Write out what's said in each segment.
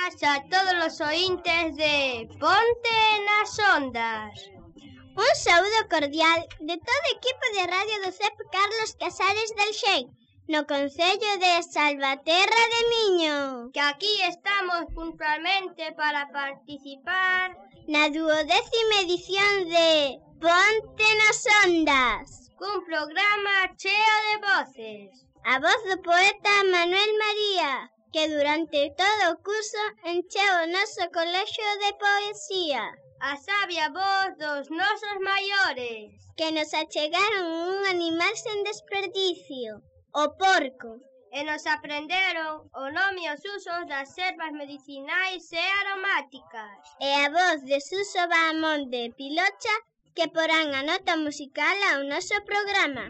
boas a todos os oíntes de Ponte nas Ondas. Un saúdo cordial de todo o equipo de radio do CEP Carlos Casares del Xei, no concello de Salvaterra de Miño. Que aquí estamos puntualmente para participar na 12ª edición de Ponte nas Ondas, cun programa cheo de voces. A voz do poeta Manuel María, que durante todo o curso encheu o noso colexio de poesía. A sabia voz dos nosos maiores, que nos achegaron un animal sen desperdicio, o porco. E nos aprenderon o nome e os usos das ervas medicinais e aromáticas. E a voz de Suso Bahamonde Pilocha, que porán a nota musical ao noso programa.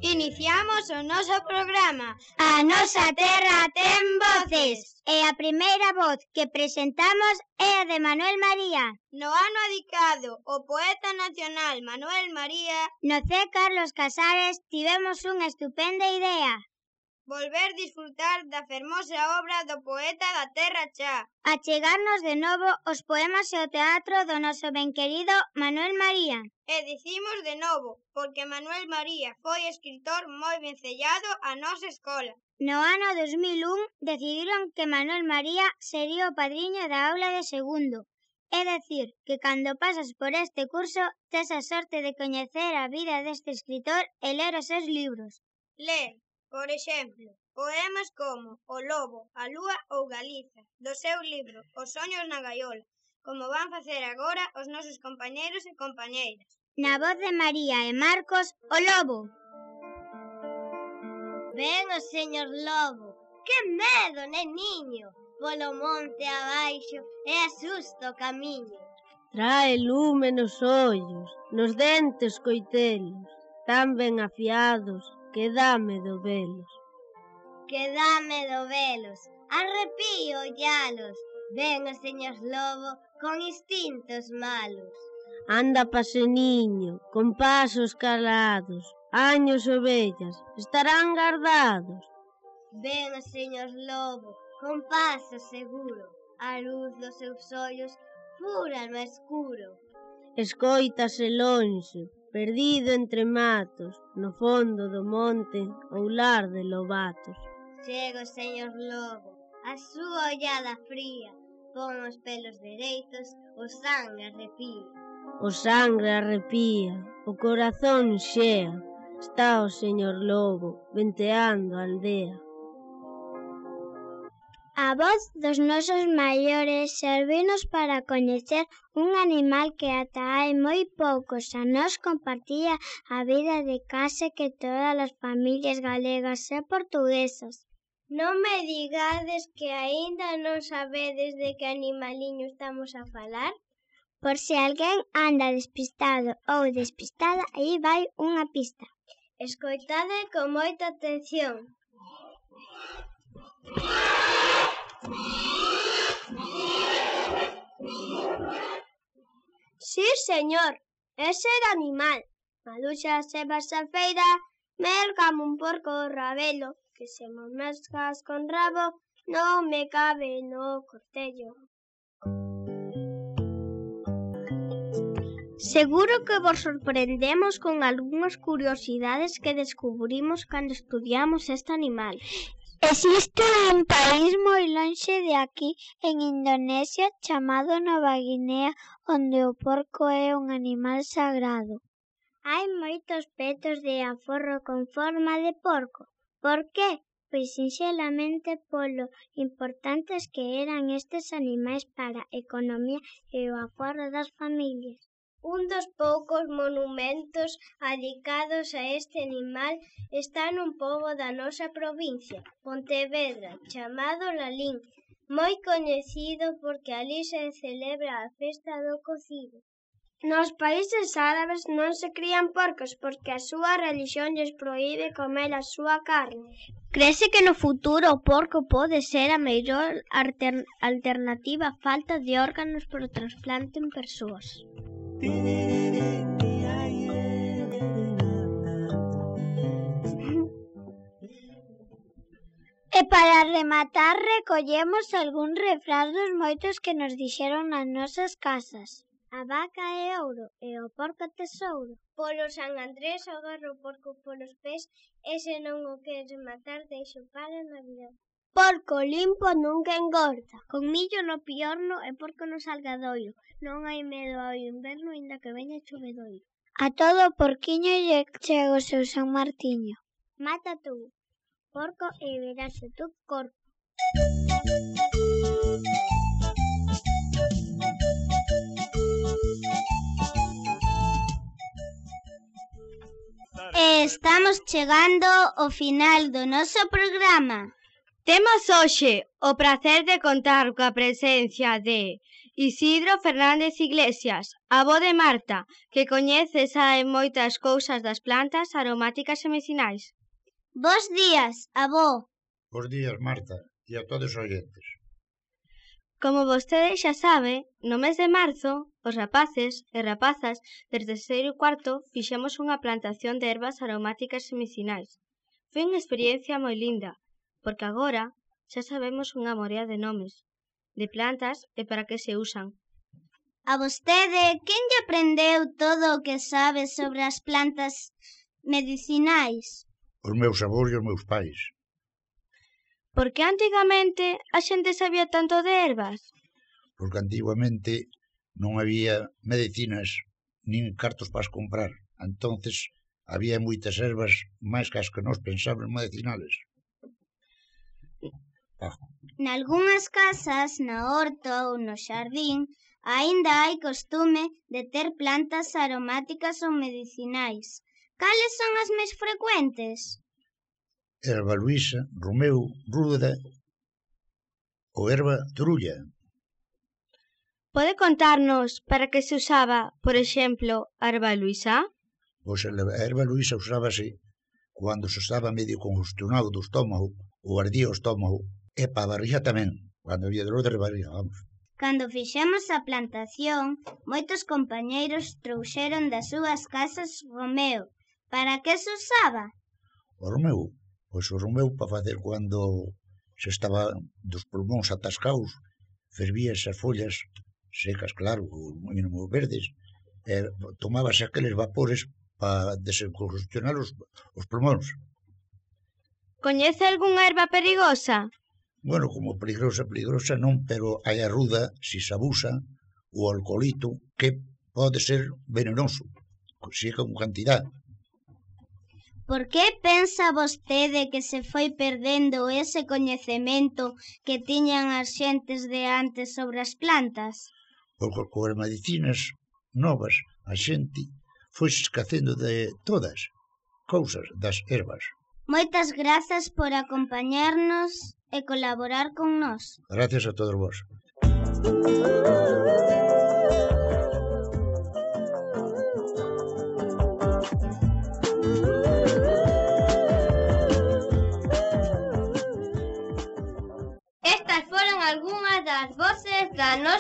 Iniciamos o noso programa. A nosa terra ten voces. E a primeira voz que presentamos é a de Manuel María. No ano adicado ao poeta nacional Manuel María, no C. Carlos Casares tivemos unha estupenda idea. Volver disfrutar da fermosa obra do poeta da terra xa. Achegarnos de novo os poemas e o teatro do noso benquerido Manuel María. E dicimos de novo, porque Manuel María foi escritor moi vencellado á nosa escola. No ano 2001 decidiron que Manuel María sería o padriño da aula de segundo. É dicir, que cando pasas por este curso tes a sorte de coñecer a vida deste escritor e ler os seus libros. Ler, por exemplo, poemas como O Lobo, a Lúa ou Galiza, do seu libro Os soños na gaiola, como van facer agora os nosos compañeiros e compañeiras. Na voz de María e Marcos, O Lobo. Ven o señor Lobo, que medo, neniño, polo monte abaixo e asusta o camiño. Trae lume nos ollos, nos dentes coitelos, tan ben afiados que dá medo velos. Que dá medo velos, arrepío ollalos, ven o señor Lobo con instintos malos. Anda paseniño, con pasos calados, años ovellas, estarán guardados. Ven o señor Lobo, con paso seguro, a luz dos seus ollos pura no escuro. Escóitase lonxe, perdido entre matos, no fondo do monte, ou lar de lobatos. Chega o señor Lobo, a súa ollada fría, pon os pelos dereitos, o sangue arrepía. O sangre arrepía, o corazón xea, está o señor Lobo venteando a aldea. A voz dos nosos maiores servinos para coñecer un animal que ata hai moi poucos anos compartía a vida de case que todas as familias galegas e portuguesas. Non me digades que aínda non sabedes de que animaliño estamos a falar? Por se alguén anda despistado ou despistada, aí vai unha pista. Escoitade con moita atención. Sí, señor, ese era animal. Maluxa se vas a feira, mercame un porco rabelo, que se mo mescas con rabo, non me cabe no cortello. Seguro que vos sorprendemos con algunhas curiosidades que descubrimos cando estudiamos este animal. Existe un país moi lonxe de aquí, en Indonesia, chamado Nova Guinea, onde o porco é un animal sagrado. Hai moitos petos de aforro con forma de porco. Por que? Pois sinxelamente polo importantes que eran estes animais para a economía e o aforro das familias. Un dos poucos monumentos adicados a este animal está nun pobo da nosa provincia, Pontevedra, chamado Lalín, moi coñecido porque alí se celebra a festa do cocido. Nos países árabes non se crían porcos porque a súa relixión lles proíbe comer a súa carne. Crese que no futuro o porco pode ser a mellor alternativa á falta de órganos por trasplante en persoas. E para rematar recollemos algún refrán dos moitos que nos dixeron nas nosas casas. A vaca é ouro e o porco tesouro. Polo San Andrés agarro o porco polos pés e se non o queres matar deixo para Navidad. Porco limpo nunca engorda. Con millo no piorno e porco no salgadoiro. Non hai medo ao inverno inda que veña chovedoiro. A todo porquiño lle chega o seu San Martiño. Mata tú, porco, e verás o tu corpo. Estamos chegando ao final do noso programa. Temos hoxe o prazer de contar coa presencia de Isidro Fernández Iglesias, avó de Marta, que coñece sabe moitas cousas das plantas aromáticas e medicinais. Bos días, avó. Bos días, Marta, e a todos os oyentes. Como vostede xa sabe, no mes de marzo, os rapaces e rapazas de terceiro e cuarto fixemos unha plantación de ervas aromáticas e medicinais. Foi unha experiencia moi linda, porque agora xa sabemos unha morea de nomes, de plantas e para que se usan. A vostede, quen lle aprendeu todo o que sabe sobre as plantas medicinais? Os meus avós e os meus pais. Por que antigamente a xente sabía tanto de ervas? Porque antiguamente non había medicinas nin cartos para as comprar. Entonces había moitas ervas máis que as que nós pensábamos medicinales. Nalgunhas casas, na horta ou no xardín, aínda hai costume de ter plantas aromáticas ou medicinais. Cales son as máis frecuentes? Erva luisa, romeu, ruda ou erva trulla. Pode contarnos para que se usaba, por exemplo, a erva luisa? Pois a erva luisa usábase cando se estaba medio congestionado do estómago ou ardía o estómago, e para a barriga tamén, cando había dolor de barriga, vamos. Cando fixemos a plantación, moitos compañeiros trouxeron das súas casas romeo. Para que se usaba? O romeu? Pois o romeu para facer cando se estaba dos pulmóns atascados, fervíase as follas secas, claro, ou verdes, e tomábase aqueles vapores para desencongestionar os pulmóns. Coñece algunha erva perigosa? Bueno, como peligrosa non, pero hai a ruda, si se abusa, o alcoholito, que pode ser venenoso, si é con cantidad. Por que pensa vostede que se foi perdendo ese coñecemento que tiñan as xentes de antes sobre as plantas? Porque coas medicinas novas a xente foi esquecendo de todas cousas das ervas. Moitas grazas por acompañarnos e colaborar con nós. Gracias a todos vos.